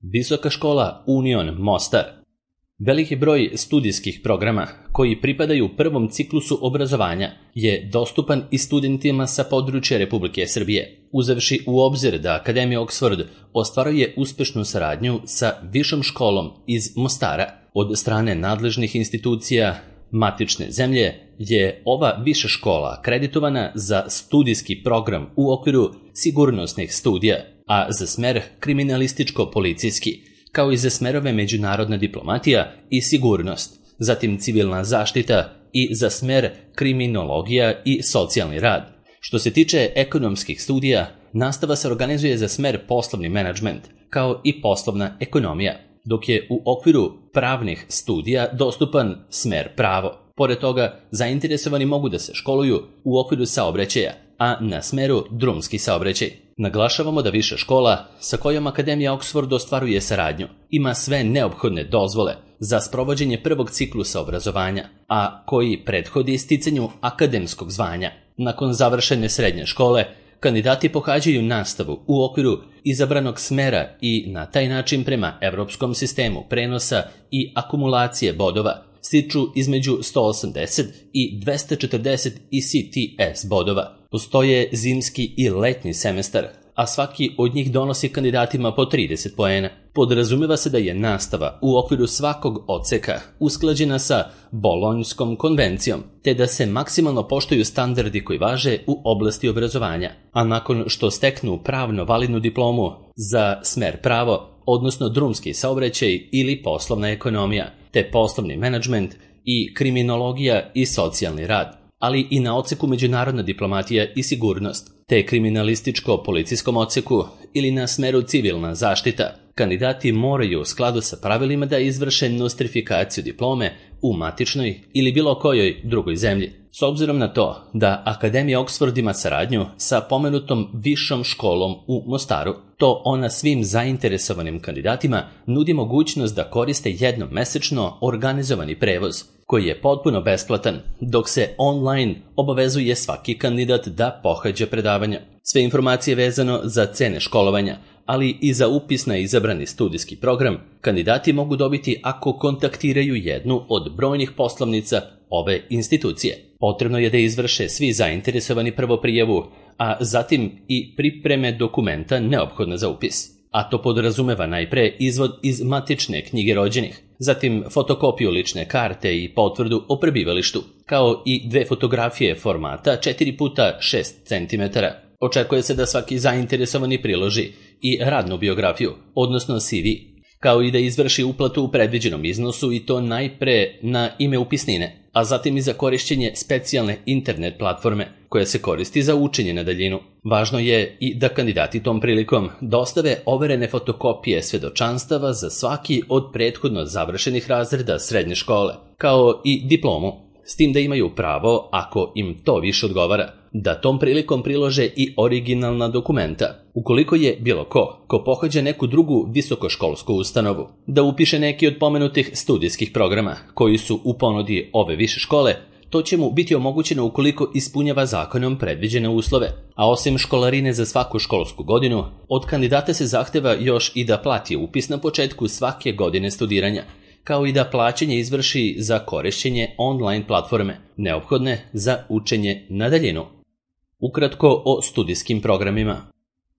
Visoka škola Union Mostar. Veliki broj studijskih programa koji pripadaju prvom ciklusu obrazovanja je dostupan i studentima sa područja Republike Srbije, uzevši u obzir da Akademija Oxford ostvaruje uspešnu saradnju sa višom školom iz Mostara. Od strane nadležnih institucija matične zemlje je ova viša škola akreditovana za studijski program u okviru sigurnosnih studija, a za smer kriminalističko-policijski, kao i za smerove međunarodna diplomatija i sigurnost, zatim civilna zaštita i za smer kriminologija i socijalni rad. Što se tiče ekonomskih studija, nastava se organizuje za smer poslovni menadžment, kao i poslovna ekonomija, dok je u okviru pravnih studija dostupan smer pravo. Pored toga, zainteresovani mogu da se školuju u okviru saobraćaja, a na smeru drumski saobraćaj. Naglašavamo da viša škola sa kojom Akademija Oxford ostvaruje saradnju ima sve neophodne dozvole za sprovođenje prvog ciklusa obrazovanja, a koji prethodi sticanju akademskog zvanja. Nakon završene srednje škole, kandidati pohađaju nastavu u okviru izabranog smera i na taj način prema evropskom sistemu prenosa i akumulacije bodova stiču između 180 i 240 ECTS bodova. Postoje zimski i letnji semestar, a svaki od njih donosi kandidatima po 30 poena. Podrazumeva se da je nastava u okviru svakog odseka usklađena sa Bolonjskom konvencijom, te da se maksimalno poštuju standardi koji važe u oblasti obrazovanja. A nakon što steknu pravno validnu diplomu za smer pravo, odnosno drumski saobraćaj ili poslovna ekonomija, te poslovni menadžment i kriminologija i socijalni rad, ali i na odseku međunarodna diplomatija i sigurnost, te kriminalističko-policijskom odseku ili na smeru civilna zaštita, kandidati moraju u skladu sa pravilima da izvrše nostrifikaciju diplome u matičnoj ili bilo kojoj drugoj zemlji. S obzirom na to da Akademija Oxford ima saradnju sa pomenutom višom školom u Mostaru, to ona svim zainteresovanim kandidatima nudi mogućnost da koriste jednom mesečno organizovani prevoz, koji je potpuno besplatan, dok se online obavezuje svaki kandidat da pohađa predavanja. Sve informacije vezano za cene školovanja, ali i za upis na izabrani studijski program, kandidati mogu dobiti ako kontaktiraju jednu od brojnih poslovnica ove institucije. Potrebno je da izvrše svi zainteresovani prvo prijavu, a zatim i pripreme dokumenta neophodna za upis. A to podrazumeva najpre izvod iz matične knjige rođenih, zatim fotokopiju lične karte i potvrdu o prebivalištu, kao i 2 fotografije formata 4x6 cm. Očekuje se da svaki zainteresovani priloži i radnu biografiju, odnosno CV, kao i da izvrši uplatu u predviđenom iznosu i to najpre na ime upisnine, a zatim i za korišćenje specijalne internet platforme koja se koristi za učenje na daljinu. Važno je i da kandidati tom prilikom dostave overene fotokopije svedočanstava za svaki od prethodno završenih razreda srednje škole, kao i diplomu, s tim da imaju pravo, ako im to više odgovara, da tom prilikom prilože i originalna dokumenta. Ukoliko je bilo ko pohađa neku drugu visokoškolsku ustanovu, da upiše neki od pomenutih studijskih programa koji su u ponudi ove više škole, to će mu biti omogućeno ukoliko ispunjava zakonom predviđene uslove. A osim školarine za svaku školsku godinu, od kandidata se zahteva još i da plati upis na početku svake godine studiranja, kao i da plaćanje izvrši za korišćenje online platforme, neophodne za učenje na daljinu. Ukratko o studijskim programima.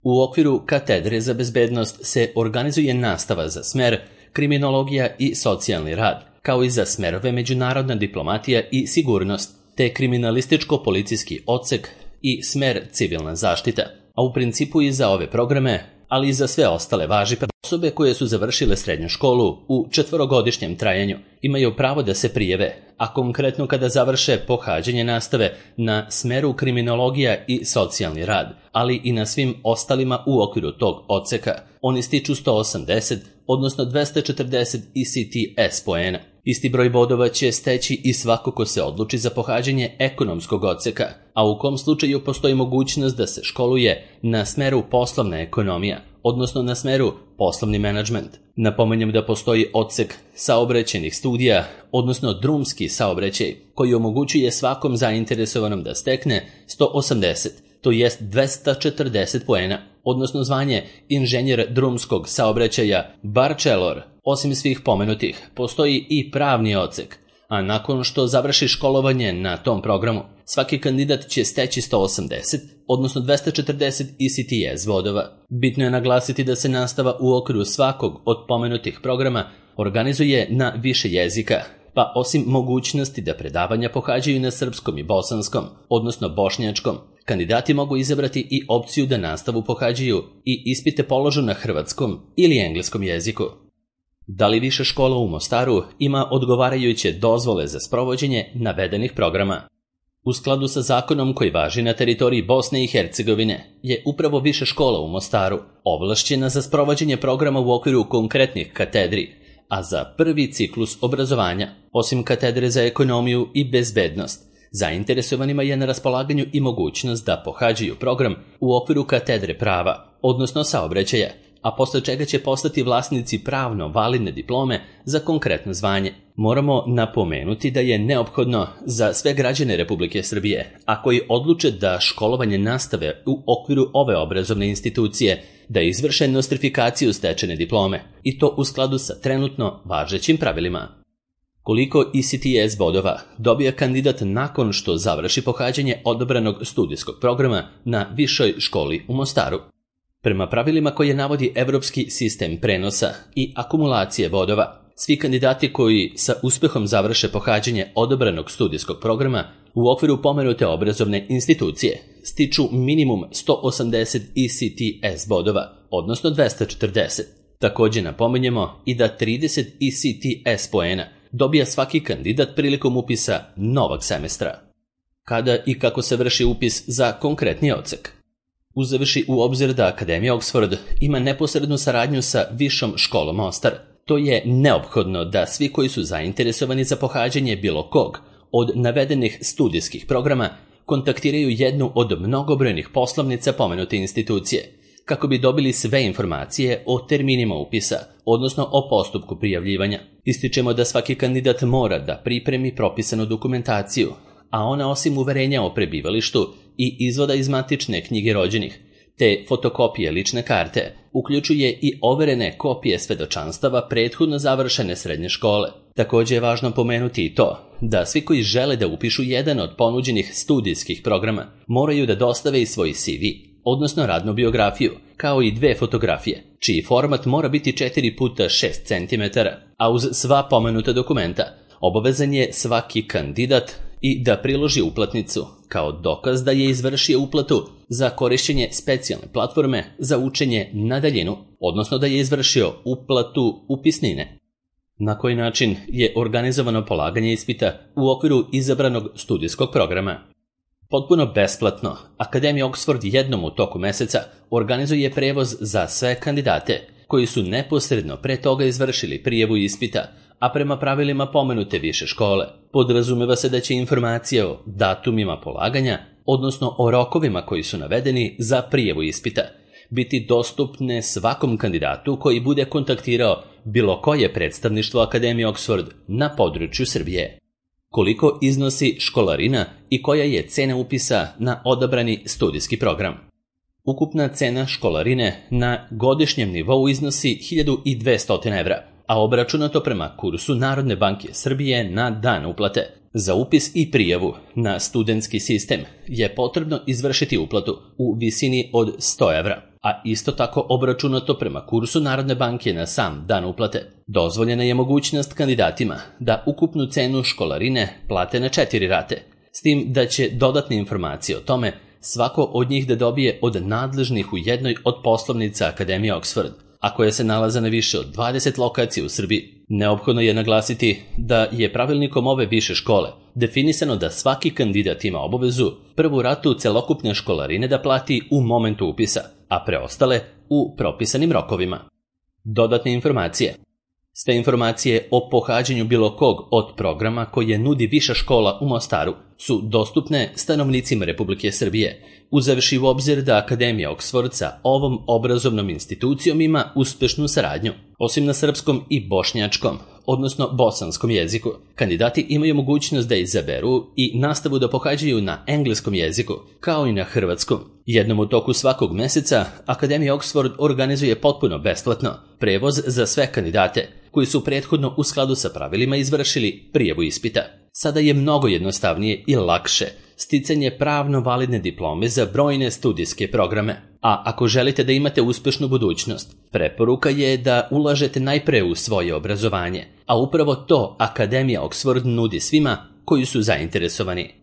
U okviru katedre za bezbednost se organizuje nastava za smer kriminologija i socijalni rad, kao i za smerove međunarodna diplomatija i sigurnost, te kriminalističko-policijski odsek i smer civilna zaštita. A u principu i za ove programe, ali i za sve ostale važi osobe koje su završile srednju školu u 4-godišnjem trajanju imaju pravo da se prijave, a konkretno kada završe pohađanje nastave na smeru kriminologija i socijalni rad, ali i na svim ostalima u okviru tog odseka, oni stiču 180, odnosno 240 ECTS poena. Isti broj bodova će steći i svako ko se odluči za pohađanje ekonomskog odseka, a u kom slučaju postoji mogućnost da se školuje na smeru poslovna ekonomija, odnosno na smeru poslovni menadžment. Napominjem da postoji odsek saobraćajnih studija, odnosno drumski saobraćaj, koji omogućuje svakom zainteresovanom da stekne 180, to jest 240 poena, odnosno zvanje inženjer drumskog saobraćaja bachelor. Osim svih pomenutih, postoji i pravni odsek, a nakon što završi školovanje na tom programu, svaki kandidat će steći 180, odnosno 240 ECTS bodova. Bitno je naglasiti da se nastava u okviru svakog od pomenutih programa organizuje na više jezika, pa osim mogućnosti da predavanja pohađaju na srpskom i bosanskom, odnosno bošnjačkom, kandidati mogu izabrati i opciju da nastavu pohađaju i ispite položu na hrvatskom ili engleskom jeziku. Da li više škola u Mostaru ima odgovarajuće dozvole za sprovođenje navedenih programa? U skladu sa zakonom koji važi na teritoriji Bosne i Hercegovine je upravo više škola u Mostaru ovlašćena za sprovođenje programa u okviru konkretnih katedri, a za prvi ciklus obrazovanja, osim katedre za ekonomiju i bezbednost, zainteresovanima je na raspolaganju i mogućnost da pohađaju program u okviru katedre prava, odnosno saobraćaja, a posle čega će postati vlasnici pravno validne diplome za konkretno zvanje. Moramo napomenuti da je neophodno za sve građane Republike Srbije, a koji odluče da školovanje nastave u okviru ove obrazovne institucije, da izvrše nostrifikaciju stečene diplome, i to u skladu sa trenutno važećim pravilima. Koliko ECTS bodova dobija kandidat nakon što završi pohađanje odabranog studijskog programa na višoj školi u Mostaru? Prema pravilima koje navodi Evropski sistem prenosa i akumulacije bodova, svi kandidati koji sa uspehom završe pohađanje odabranog studijskog programa u okviru pomenute obrazovne institucije stiču minimum 180 ECTS bodova, odnosno 240. Također napominjemo i da 30 ECTS poena dobija svaki kandidat prilikom upisa novog semestra. Kada i kako se vrši upis za konkretni odsek? Uzevši u obzir da Akademija Oxford ima neposrednu saradnju sa Višom školom Mostar, to je neophodno da svi koji su zainteresovani za pohađanje bilo kog od navedenih studijskih programa kontaktiraju jednu od mnogobrojnih poslovnica pomenute institucije, kako bi dobili sve informacije o terminima upisa, odnosno o postupku prijavljivanja. Ističemo da svaki kandidat mora da pripremi propisanu dokumentaciju, a ona osim uverenja o prebivalištu i izvoda iz matične knjige rođenih, te fotokopije lične karte, uključuje i overene kopije svedočanstava prethodno završene srednje škole. Također je važno pomenuti i to da svi koji žele da upišu jedan od ponuđenih studijskih programa moraju da dostave i svoj CV, odnosno radnu biografiju, kao i 2 fotografije, čiji format mora biti 4x6 cm, a uz sva pomenuta dokumenta obavezan je svaki kandidat i da priloži uplatnicu kao dokaz da je izvršio uplatu za korišćenje specijalne platforme za učenje na daljinu, odnosno da je izvršio uplatu upisnine. Na koji način je organizovano polaganje ispita u okviru izabranog studijskog programa? Potpuno besplatno, Akademija Oxford jednom u toku meseca organizuje prevoz za sve kandidate koji su neposredno pre toga izvršili prijavu ispita, a prema pravilima pomenute više škole. Podrazumeva se da će informacije o datumima polaganja, odnosno o rokovima koji su navedeni za prijavu ispita, biti dostupne svakom kandidatu koji bude kontaktirao bilo koje predstavništvo Akademije Oxford na području Srbije. Koliko iznosi školarina i koja je cena upisa na odabrani studijski program? Ukupna cena školarine na godišnjem nivou iznosi 1200 evra, a obračunato prema kursu Narodne banke Srbije na dan uplate. Za upis i prijavu na studentski sistem je potrebno izvršiti uplatu u visini od 100 evra, a isto tako obračunato prema kursu Narodne banke na sam dan uplate. Dozvoljena je mogućnost kandidatima da ukupnu cenu školarine plate na 4 rate, s tim da će dodatne informacije o tome svako od njih da dobije od nadležnih u jednoj od poslovnica Akademije Oxford, a koje se nalaze na više od 20 lokacija u Srbiji. Neophodno je naglasiti da je pravilnikom ove više škole definisano da svaki kandidat ima obavezu prvu ratu celokupne školarine da plati u momentu upisa, a preostale u propisanim rokovima. Dodatne informacije. Sve informacije o pohađanju bilo kog od programa koje nudi Viša škola u Mostaru su dostupne stanovnicima Republike Srbije, uzevši u obzir da Akademija Oxford sa ovom obrazovnom institucijom ima uspešnu saradnju. Osim na srpskom i bošnjačkom, odnosno bosanskom jeziku. Kandidati imaju mogućnost da izaberu i nastavu da pohađaju na engleskom jeziku, kao i na hrvatskom. Jednom u toku svakog meseca Akademija Oxford organizuje potpuno besplatno prevoz za sve kandidate koji su prethodno u skladu sa pravilima izvršili prijavu ispita. Sada je mnogo jednostavnije i lakše sticanje pravno validne diplome za brojne studijske programe. A ako želite da imate uspešnu budućnost, preporuka je da ulažete najpre u svoje obrazovanje, a upravo to Akademija Oxford nudi svima koji su zainteresovani.